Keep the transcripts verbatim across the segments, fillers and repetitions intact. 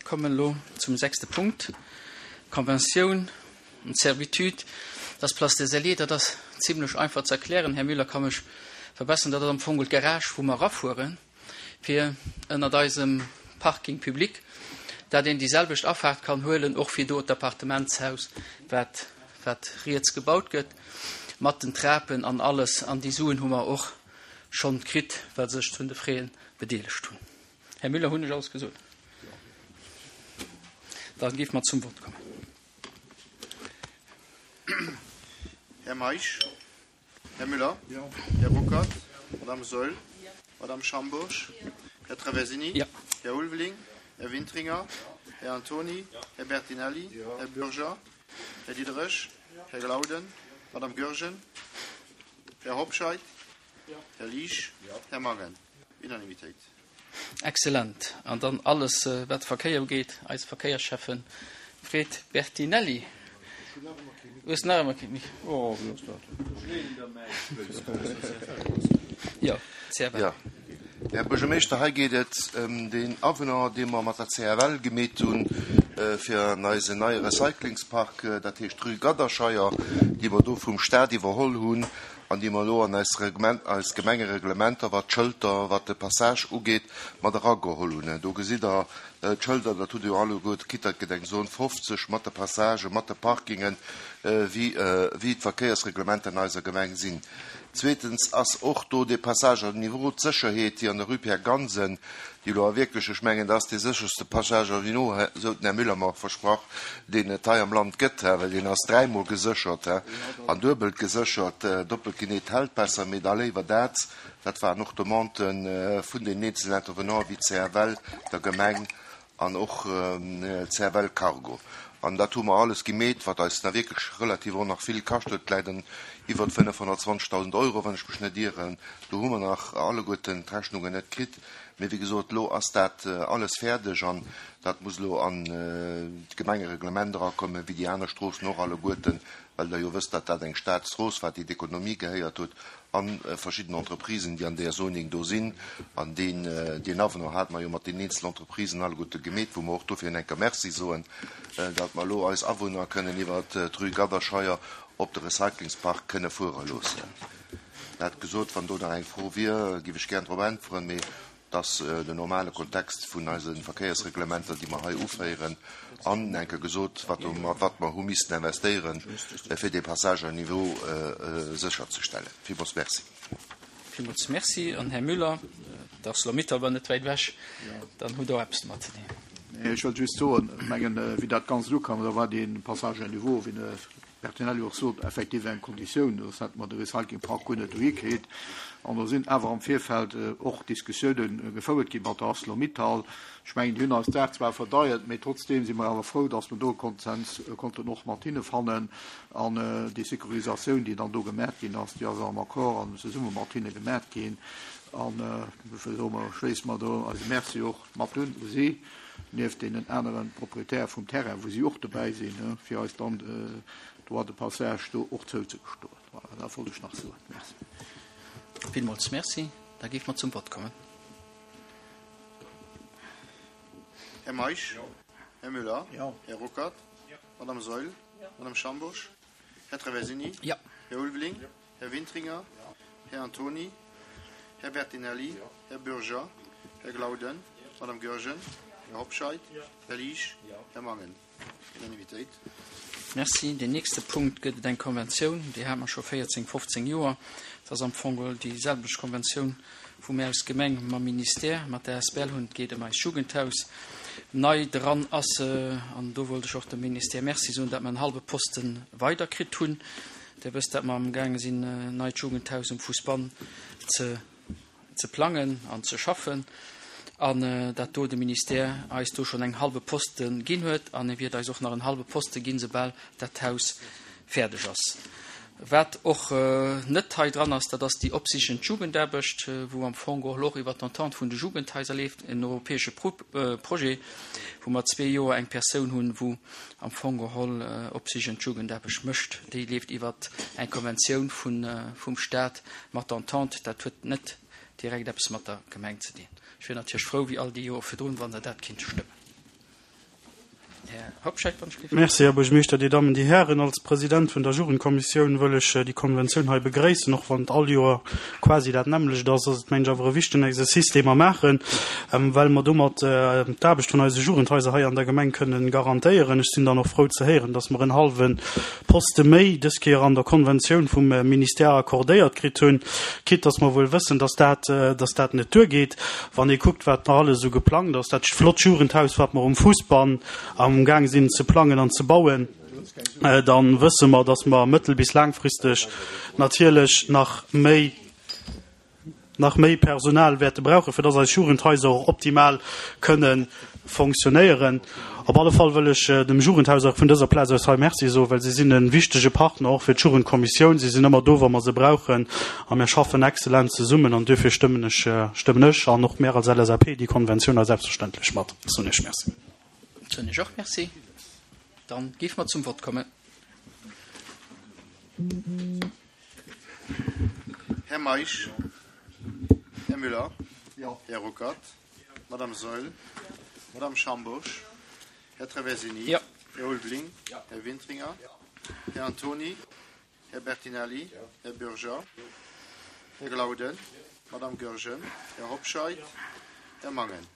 Mir kommen elo zum sechste Punkt, Conventioun und Servitude. Dat ass Place des Alliés, dat ass zimlech einfach ze erklären. Här Müller ka mech verbessern, dat ass am Fong d'Garage, wou mer erafueren, fir ënnert eisem Parking public, dat een déi selwecht Afaart kann huelen, och fir do d'Appartementshaus, wat, wat riets gebaut gëtt, mat den Trapen an alles. An déi Suen hu mer och schonn kritt, well se sech un de Frais bedeelegt hunn. Här Müller, hunn ech alles gesot? Da géife mer zum Vott kommen. Här Meisch? Här Müller? Här Ruckert? Madame Saeul? Madame Schambourg? Här Traversini? Ja. Här Ulveling? Här Wintringer? Här Antoni? Här Bertinelli? Här Bürger? Här Diderich? Här Glauden? Madame Goergen? Här Hobscheit? Här Liesch? Här Mangen? Unanimitéit. Excellent. An dann alles, wat Verkéier ugeet, eis Verkéierschäffen Fred Bertinelli. Hues nach ëmmer kee Mikro? Oh, wéi ass dat? Jo, C F L. Jo. Här Buergermeeschter, hei geet et ëm deen Avenant, dee mer mat der C F L gemeet hunn fir an eisen neie Recyclingspark, dat heescht d'Rue Gadderscheier, déi mer do vum Stat iwwerholl hunn an déi mer elo an eis Reglement, eis Gemengereglementer, wat d'Schëlter, wat de Passage ugeet, mat erageholl hunn. Do gesitt Der d'Schëlter, dat hutt Der jo alleguer kritt, dat gëtt eng Zone fofzeg mat de Passagen, mat de Parkingen, wéi, wéi d'Verkéiersreglementer an eiser Gemeng sinn. Zweetens ass och do dee Passage à niveau, d'Sécherheet, déi an der Rue Pierre Gansen, déi elo a wierklech, ech mengen, dat ass dee sécherste Passage à niveau, esou den Här Müller mer och versprach, deen et hei am Land gëtt, well deen ass dräimol geséchert an duebelt geséchert. Doppelt geneet hält besser, mee da léiwer dat. Dat waren och Demanden vun den eenzelen Intervenanten wéi C F L, der Gemeng an och C F L Cargo. An dat hu mer alles gemeet, wat eis da wierklech relativ och nach vill kascht huet, läit an iwwer fënnefhonnertzwanzegdausend Euro, wann ech mech net ieren. Do hu mer nach alleguerten d'Rechnungen net kritt. Mee wéi gesot, elo ass dat alles fäerdeg an dat muss elo an d'Gemengereglement erakommen, wéi déi aner Stroossen och alleguerten, well Der jo wësst, datt dat eng Staatsstrooss war, déi d'Ekonomie gehéiert huet an verschidden Entreprisen, déi an där Zoning do sinn. An deen, deen Avenant hate mer jo mat den eenzelen Entreprisen alleguerte gemeet, wou mer och dofir en enker Merci soen, datt mer elo eis Awunner kënnen iwwert d'Rue Gadderscheier op de Recyclingspark kënne fuere loossen. Dat gesot, wann do nach eng Fro wier, géif ech gär drop äntweren, mee dat ass den normale Kontext vun eise Verkéiersreglementer, déi mer hei uféieren, an enke gesot, wat, wat mer hu missten investéieren, fir dee Passage à niveau sécherzestellen. Villmools Merci. Villmools Merci. An Här Müller, d'Arcelor-Mittal war net wäit ewech, dann hutt Der och eppes domat ze dinn. Ech wëllt just soen, mengen, wéi dat Ganzt ukam, da war dee Passage à niveau, wéi de Bertinelli och sot, effektiv eng Konditioun, soss hätte mer de Recyclingpark guer net dohi kritt. An do sinn awer am Virfeld och Diskussiounen gefouert gi mat der ArcelorMittal. Ech mengen, déi hunn eis d'Saach zwar verdeiert, mee trotzdeem si mer awer frou, datt mer do e Konsens konnten och mat hinne fannen. An déi Securisatioun, déi dann do gemat ginn ass, déi ass am Accord an zesumme mat hinne gemat ginn. An dofir soe mer, schléisse mer do eise Merci och mat un u si, nieft deenen anere Propriétaire vum Terrain, wou si och dobäi sinn, fir eis dann Droit de passage do och zouzegestoen. Voilà, dat wollt ech nach soen. Merci. Villmools Merci. Da géife mer zum Vott kommen. Här Meisch? Här Müller? Här Ruckert? Madame Saeul? Madame Schambourg? Här Traversini? Ja. Här Ulveling? Här Wintringer? Här Antoni? Här Bertinelli? Här Bürger? Här Glauden? Madame Goergen? Här Hobscheit? Här Liesch? Här Mangen? Unanimitéit. Merci. Den nächste Punkt gëtt et eng Konventioun, déi hate mer scho véierzéng, fofzéng Joer. Dat ass am Fong geholl déi selwecht Konventioun, wou mir als Gemeng mam Ministère, mat der A S B L hunn. Et geet ëm eist Jugendhaus. Nei dran ass, an do wollt ech och dem Ministère Merci soen, datt mer en hallwe Poste weiderkritt hunn. Dir wësst, datt mer amgaange sinn, en neit Jugendhaus um Fousbann ze ze plangen an ze schaffen, an dat do de Ministère eis do schonn eng hallwe Poste ginn huet an e wiert eis och nach en hallwe Poste ginn, soubal dat Haus fäerdeg ass. Wat och net hei dran ass, dat ass déi opsichend Jugendaarbecht, wou am Fong och elo och iwwer d'Entente vun de Jugendhaiser leeft, en europäesche Projet, wou mer zwee Joer eng Persoun hunn, wou am Fong geholl opsichend Jugendaarbecht mécht. Déi leeft iwwer eng Konventioun vum Stat mat der Entente. Dat huet net direkt eppes mat der Gemeng ze dinn. Ech wier natierlech frou, wéi all déi Joer virdrun, wann Der dat kinnt stëmmen. Här Hobscheit, wann ech gelift. Merci, Här Buergermeeschter, Dir Dammen, Dir Hären. Als President vun der Jugendkommissioun wëll ech déi Konventioun hei begréissen. Och wann et all Joer quasi dat nämmlecht ass, ass et, mengen ech, awer e wichtegen Exercice, dee mer maachen, well mer domat d'Aarbecht vun eise Jugendhaiser hei an der Gemeng kënnen garantéieren. Ech sinn dann och frou ze héieren, dass mer en hallwe Poste méi dës Kéier an der Konventioun vum Ministère accordéiert kritt hunn, quitte dass mer wuel wëssen, dass dat, dass dat net duergeet, wann ee kuckt, wat nach alles esou geplangt ass, dat flott Jugendhaus, wat mer um Fussbann am Gaang sinn ze plangen an ze bauen, dann wësse mer, dass mer mëttel bis laangfristeg natierlech nach méi, nach méi Personal wäerte brauchen, fir dass eis Jugendhaiser och optimal kënne fonctionnéieren. Op alle Fall wëll ech dem Jugendhaus och vun dëser Plaz aus hei Merci soen, well si sinn e wichtege Partner och fir d'Jugendkommissioun. Si sinn ëmmer do, wa mer se brauchen, a mir schaffen exzellent zesummen an duerfir stëmmen ech, stëmmen ech an och mir als L S A P déi Konventioun hei selbstverständlech mat. Soen ech Merci. Soen ech och Merci. Dann géife mer zum Vott kommen. Här Meisch. Här Müller. Här Ruckert. Madame Saeul. Madame Schambourg. Här Traversini. Ja. Här Ulveling. Här Wintringer. Här Antoni. Här Bertinelli. Här Bürger. Här Glauden. Madame Goergen. Här Hobscheit. Här Mangen.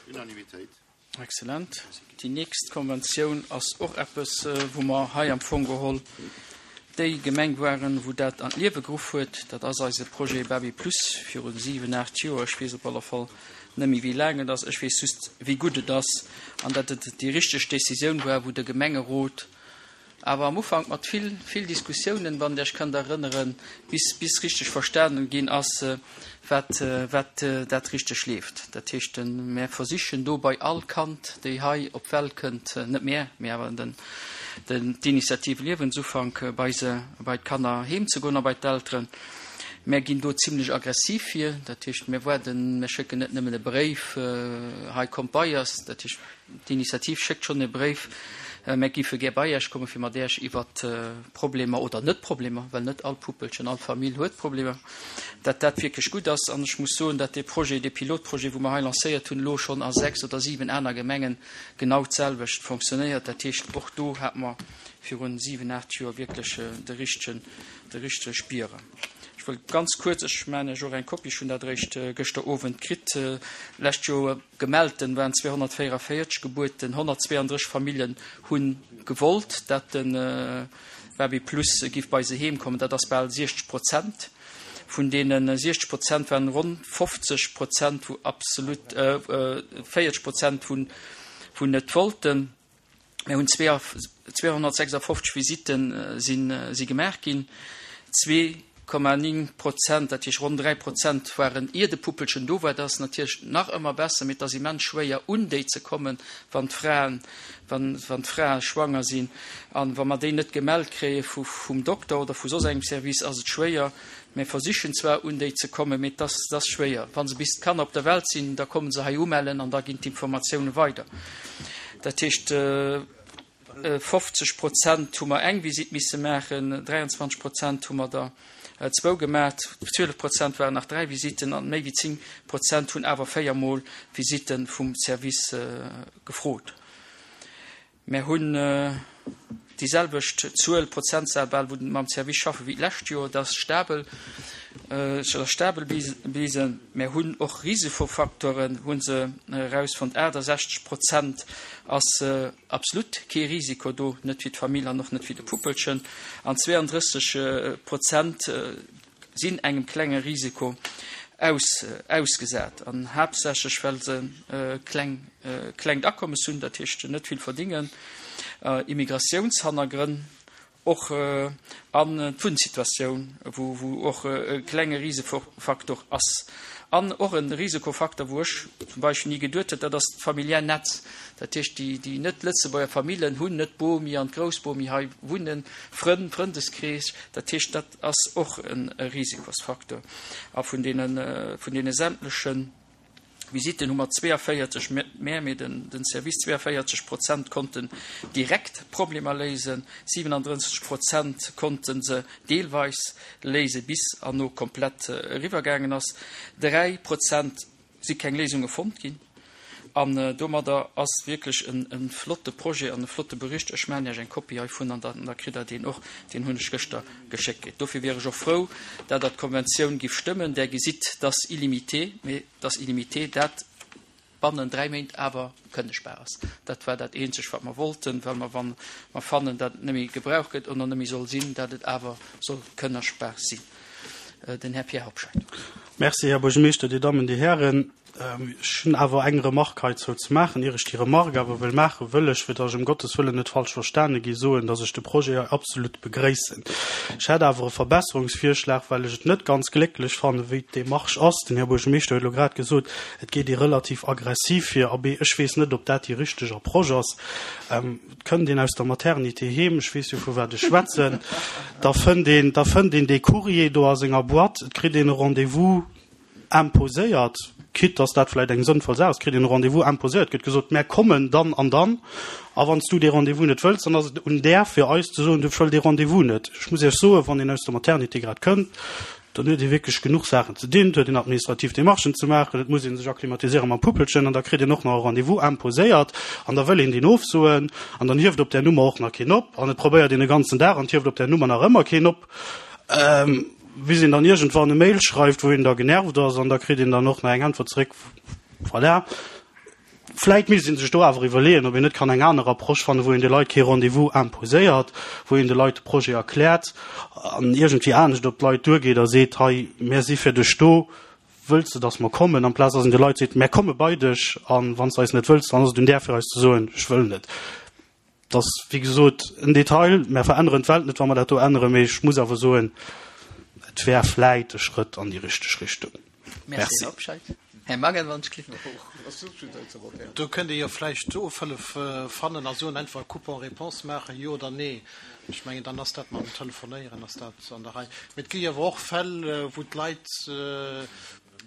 Unanimitéit. Excellent. Déi nächst Konventioun ass och eppes, wou mer hei am Fong geholl déi Gemeng waren, wou dat an d'Liewe geruff huet. Dat ass eise Projet Baby Plus viru siwen, aacht Joer. Ech weess op alle Fall net méi, wéi laang et ass. Ech weess just, wéi gutt et ass an datt et déi richteg Decisioun war, wou de Gemengerot awer am Ufank mat vill, vill Diskussiounen, wann Der Iech kënnt erënneren, bis, bis richteg verstanen ginn ass, wat, wat dat richteg leeft. Dat heescht, mir versichen do bei all Kand, déi hei op d'Welt kënnt, net mir, mee awer den, den, d'Initiative Liewensufank, bei se, bei d'Kanner heem ze goen a bei d'Elteren. Mir ginn do zimlech aggressiv vir, dat heescht, mir waarden, mir schécken net nëmmen e Bréif, hei kommt bei eis, dat heescht, d'Initiativ schéckt schonn e Bréif, mir géife gär bei Iech kommen, fir mat Iech iwwert Problemer oder net Problemer, well net all Puppelchen, all Famill huet Problemer, dat dat wierklech gutt ass. An ech muss soen, dat dee Projet, dee Pilotprojet, wou mer hei lancéiert hunn, elo schonn a sechs oder siwen aner Gemengen genau d'selwecht fonctionnéiert. Dat heescht, och do hate mer virun siwen, aacht Joer wierklech de richtegen, de richtege Spiere. Ech wëll ganz kuerz, ech mengen ech och eng Kopie schonn dat eréischt gëschter Owend kritt, lescht Joer gemellten waren zweehonnertvéierenvéierzeg Gebuerten, honnertzweeëndrësseg Familljen hu gewollt, dat de Baby Plus giff bei se heem kommen. Dat ass bal siechzeg Prozent. Vun deene siechzeg Prozent waren ronn fofzeg Prozent wou absolut, véierzeg Prozent wou wou net wollten. Mir hunn zweehonnertsechsafofzeg Visitten sinn si gemaach ginn. Zwee Komma néng Prozent, dat heescht ronn dräi Prozent waren ier de Puppelchen do war. Dat ass natierlech nach ëmmer besser, mee et ass immens schwéier un déi ze kommen, wann d'Fraen, wann, wann d'Frae schwanger sinn. An wa mer déi net gemellt kréie vu, vum Dokter oder vu soss engem Service, ass et schwéier. Mir versichen zwar un déi ze kommen, mee et ass, et ass schwéier. Wa se bis d'Kanner op der Welt sinn, da komme se hei umellen an da ginn d'Informatioune weider. Dat heescht, fofzeg Prozent hu mer eng Visitt misse maachen, dräianzwanzeg Prozent hu mer der zwou gemaach, zwielef Prozent waren nach dräi Visitten an méi wéi zéng Prozent hunn awer véier Mol Visitte vum Service gefrot. Mir hunn déi selwecht Zuel, Prozentzahl bal, wou mam Service schaffen, wéi d'lescht Joer. Dat ass stabel, dat ass stabel bliwwen. Mir hunn och Risikofacteuren, hu se erausfonnt, aachtasechzeg Prozent ass absolut kee Risiko do, net fir d'Famill an och net fir de Puppelchen, an zweeëndrësseg Prozent sinn engem klenge Risiko aus, ausgesat, an haaptsächlech well se kleng, klengt Akommes hunn, dat heescht net vill verdingen, Immigratiounshannergrënn och an d'Wunnsituatioun, wou, wou och e klenge Risikofaktor ass. An och e Risikofaktor, wou ech zum Beispill ni geduet hätt, dat ass d'familiär Netz. Dat heescht, déi, déi net-Lëtzebuerger Famillen hunn net d'Bomi an d'Groussbomi hei wunnen, Frënn, Frëndeskrees. Dat heescht, dat ass och e Risikosfaktor. A vun deene, vun deene sämtlechen Visitten hu mer zweeënvéierzeg, mä mee den, den Service, zweeënvéierzeg Prozent konnten direkt Problemer léisen, siwenandrësseg Prozent konnte se deelweis léisen, bis an no komplett eriwwergaangen ass. Dräi Prozent si keng Léisunge fonnt ginn. An domadder ass wierklech e flotte Projet an e flotte Bericht. Ech maachen Iech eng Kopie heivun an da kritt Der deen och. Deen hunn ech gëschter geschéckt kritt. Dofir wier ech och frou, dat Der d'Konventioun giff stëmmen. Där gesitt, dass illimité, mee dass illimité dat bannen dräi Méint awer kënnegbar ass. Dat war dat eenzegt, wat mer wollten, well mer, wa mer fannen, dat et net méi gebraucht gëtt oder net méi soll sinn, dat et awer soll kënnegbar sinn. Den Här Pierre Hobscheit. Merci, Här Buergermeeschter, Dir Dammen, Dir Hären. Ech hunn awer eng Remarque heizou ze maachen. Ier ech déi Remarque awer wëll maachen, wëll ech, fir datt ech ëm Gottes Wëllen net falsch verstane gi, soen, datt ech de Projet hei absolut begréissen. Ech hätt awer e Verbesserungsvirschlag, well ech et net ganz glécklech fannen, wéi d'Demarche ass. Den Här Buergermeeschter huet elo grad gesot, et geet ee relativ aggressiv vir. Abee, ech weess net, ob dat déi richteg Approche ass. Et kënnt een aus der Maternité heem, ech weess jo, vu wat ech schwätzen, da fënnt een, da fënnt een dee Courrier do a senger Boîte, et kritt een e Rendez-vous imposéiert, quitte dass dat vläicht eng sënnvoll Saach ass, kritt een e Rendez-vous imposéiert, gëtt gesot, mär kommen dann an dann, a wann s du dee Rendez-vous net wëlls, dann ass et un där fir eis ze soen, du ech wëll dee Rendez-vous net. Ech muss Iech soen, wann een aus der Maternité grad kënnt, dann huet ee wierklech genuch Saachen ze dinn, et huet een administrativ Démarchen ze maachen, et muss ee sech akklimatiséiere mam Puppelchen an da kritt een och nach e Rendez-vous imposéiert an da wëll een deen ofsoen an dann hieft op där Nummer och nach keen op an et probéiert een e ganzen Dag an et hieft op där Nummer nach ëmmer keen op. Bis een dann iergendwann e Mail schreift, wou een da genervt ass an da kritt een dann och nach eng Äntwert zeréck. Voilà. Vläit misst ee sech do awer iwwerleeën, ob een net kann eng aner Approche fannen, wou een de Leit kee Rendez-vous imposéiert, wou een de Leit de Projet erkläert an iergendwéi anescht op d'Leit duergeet a seet, hei, mär si fir dech do, wëlls de, dass mer kommen? Amplaz dass een de Leit seet, mär komme bei dech a wann s de eis net wëlls, dann ass et un där fir eis ze soen, ech wëll net. Dat ass, wéi gesot, en Detail. Mär veränneren d'Welt net, wa mer dat do änneren, mee ech muss awer soen, et wär vläit e Schrëtt an déi richteg Richtung. Merci. Här Hobscheit. Här Mangen, wann ech klicken. Do kënnt Dir jo vläicht Ofhëllef fannen a soen, einfach e Coupon-réponse maachen, jo oder nee. Ech mengen, dann ass dat mam Telefonéieren ass dat an der Rei. Mee et gi jo awer och Fäll, wou d'Leit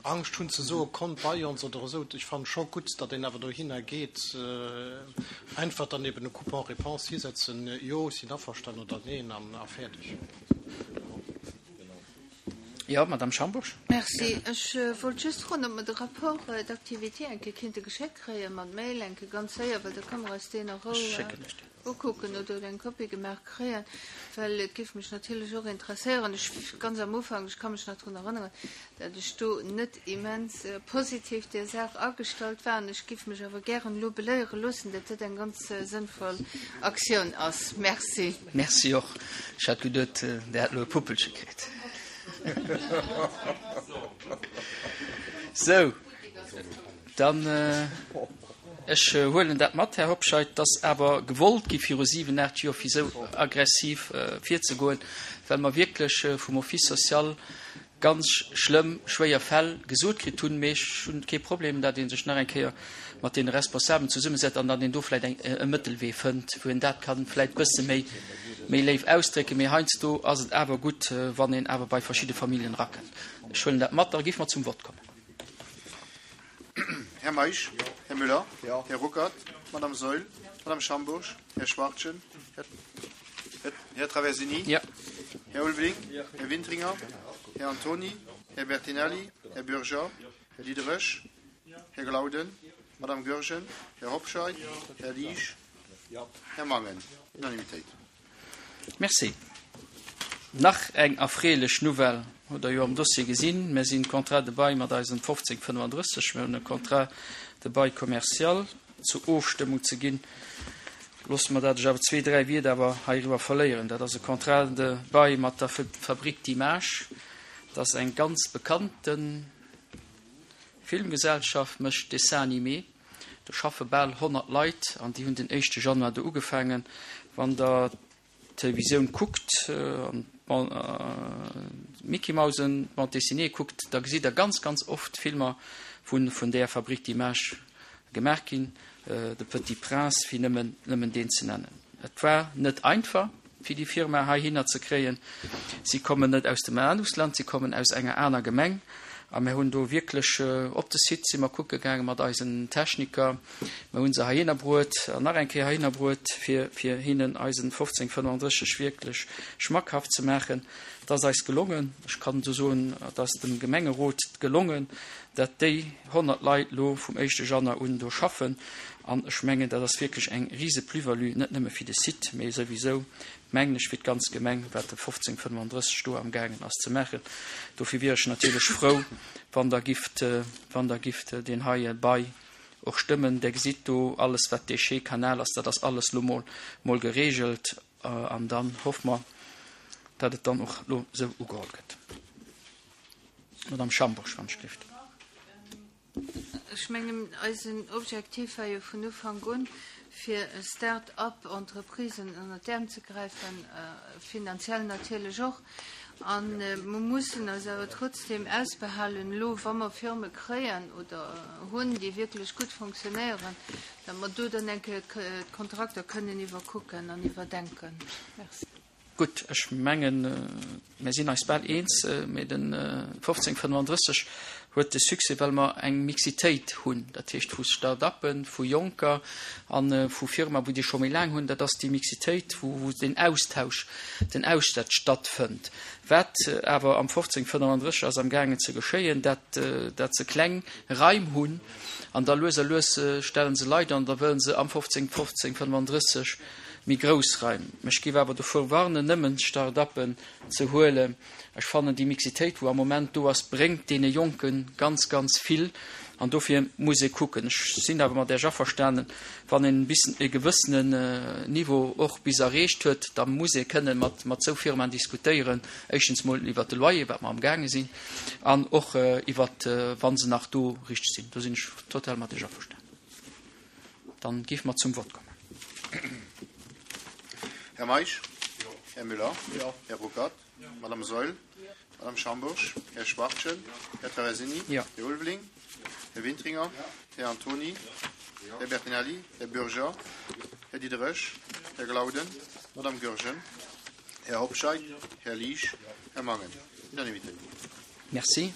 Angscht hunn ze soen, kommt bei ons oder esou. Ech fannen scho gutt, datt een awer dohinner geet. Einfach dann eben e Coupon-réponse hisetzen, jo, ech sinn averstanen oder neen an a fäerdeg. Jo, Madame Schambourg. Merci. Ech wollt just froen, ob mer de Rapport d'activité eng Kéier kinnte geschéckt kréie mat Mail, eng Kéier ganz séier, well da ka mer eis deen a Rou ukucken oder eng Kopie gemaach kréien, well et géif mech natierlech och interesséieren. Ech, ganz am Ufank, ech ka mech nach drun erënneren, dat ech do net immens positiv där Saach agestallt war an ech géif mech awer gären elo beléiere loossen, dat dat eng ganz sënnvoll Aktioun ass. Merci. Merci och. Ech hat geduet, Der hätt elo e Puppelche kritt. Sou, dann, ech huelen dat mat, Här Hobscheit, dass awer gewollt gi viru siwen, aacht Joer, fir esou aggressiv virzegoen, well mer wierklech vum Office social ganz schlëmm, schwéier Fäll gesot kritt hunn. Mee ech hunn kee Problem, datt ee sech nach eng Kéier mat deene Responsabelen zesummesetzt an datt een do vläicht eng, e Mëttelwee fënnt, wou een dat ka vläicht e bësse méi, méi léif ausdrécken. Mee heiansdo ass et awer gutt, wann een awer bei verschidde Familljen erakënnt. Ech huelen dat mat. Da géife mer zum Vott kommen. Här Meisch, Här Müller, Här Ruckert, Madame Saeul, Madame Schambourg, Här Schwachtgen, Här Traversini, Här Ulveling, Här Wintringer, Här Antony, Här Bertinelli, Här Bürger, Här Diderich, Här Glauden, Madame Goergen, Här Hobscheit, Här Liesch, Här Mangen. Unanimitéit. Merci. Nach eng erfreelech Nouvelle hutt Der jo am Dossier gesinn. Mir sinn Contrat de bail mat eisem fofzéng fënnefandrësseg. Mir hunn e Contrat de bail commercial zur Ofstëmmung ze ginn. Loosse mer dat ech awer zwee, dräi Wierder awer heiriwwer verléieren. Dat ass e Contrat de bail mat der Fabrique d'images. Dat ass eng ganz bekannte Filmgesellschaft, mécht Dessins animés. Do schaffe bal honnert Leit an déi hunn den éischte Januar do ugefaangen. Wann Der d'Televisioun kuckt an d'Mickey-Mausen, d'Bande dessinée kuckt, da gesitt Der ganz, ganz oft Filmer, wou vun där Fabrique d'images gemaach ginn, De Petit Prince, fir nëmmen, nëmmen deen ze nennen. Et war net einfach, fir déi Firma heihinner ze kréien. Si kommen net aus dem Ausland, si kommen aus enger aner Gemeng. A mir hunn do wierklech op de Site si mer kucke gaange mat eisen Techniker. Mir hu se heihinner bruet an nach eng Kéier heihinner bruet, fir, fir hinnen eisen fofzéng fënnefandrësseg wierklech schmackhaft ze maachen. Et ass eis gelongen. Ech kann esou soen, et ass dem Gemengerot gelongen, dat déi honnert Leit lo vum éischte Januar un do schaffen. An ech mengen, dat ass wierklech eng rise Plus-value, net nëmme fir de Site, mee souwisou, mengen ech, fir d'ganz Gemeng, wat de fofzéng fënnefandrësseg do amgaangen ass ze maachen. Dofir wier ech natierlech frou, wann Der gifft, wann Der gifft deen heie Bail och stëmmen. Der gesitt do alles, wat Déchets, Kanal ass, dat ass alles lo mol, mol geregelt. An dann hoffe mer, datt et dann och lo esou ugeholl gëtt. Madame Schambourg, wann ech gifft. Ech mengen, eisen Objektiv war jo vun Ufank un, fir Start-up-Entreprisen ënner d'Äerm ze gräifen, finanziell natierlech och. A mer mussen eis awer trotzdem ausbehalen, elo wa mer Firme kréien oder hunn, déi wierklech gutt fonctionnéieren, datt mer do dann eng Kéier d'Kontrakter kënnen iwwerkucken an iwwerdenken. Merci. Gutt, ech mengen, mir sinn eis bal eens, mee de fofzéng fënnefandrësseg huet de Succès, well mer eng Mixitéit hunn, dat heescht vu Start-uppen, vu Jonker a vu Firma, wou déi scho méi laang hunn. Dat ass déi Mixitéit, wou, wou den Austausch, den Austausch stattfënnt. Wat awer am fofzéng fënnefandrësseg ass amgaangen ze geschéien, dat, dat se kleng Raim hunn an da lues a lues stelle se Leit an, da wëlle se am fofzéng fofzéng fënnefandrësseg méi grouss Raim. Ech géif awer dovur warnen, nëmmen Start-uppen ze huelen. Ech fannen, déi Mixitéit, wou am Moment do ass, bréngt deene Jonke ganz, ganz vill. An dofir muss ee kucken. Ech sinn awer mat Iech averstanen, wann een bis e gewëssenen Niveau och bis erreecht huet, da muss ee kënnen mat, mat esou Firmaen diskutéieren, éischtens mol iwwert de Loyer, wat mer amgaange sinn, an och iwwert, wa se nach do richteg sinn. Do sinn ech total mat Iech averstanen. Dann géife mer zum Vott kommen. Här Meisch? Här Müller? Här Ruckert? Madame Saeul? Madame Schambourg? Här Schwachtgen? Här Traversini? Jo. Här Ulveling? Här Wintringer? Här Antoni? Här Bertinelli? Här Bürger? Här Diderich? Här Glauden? Madame Goergen? Här Hobscheit? Här Liesch? Här Mangen? Unanimité. Merci.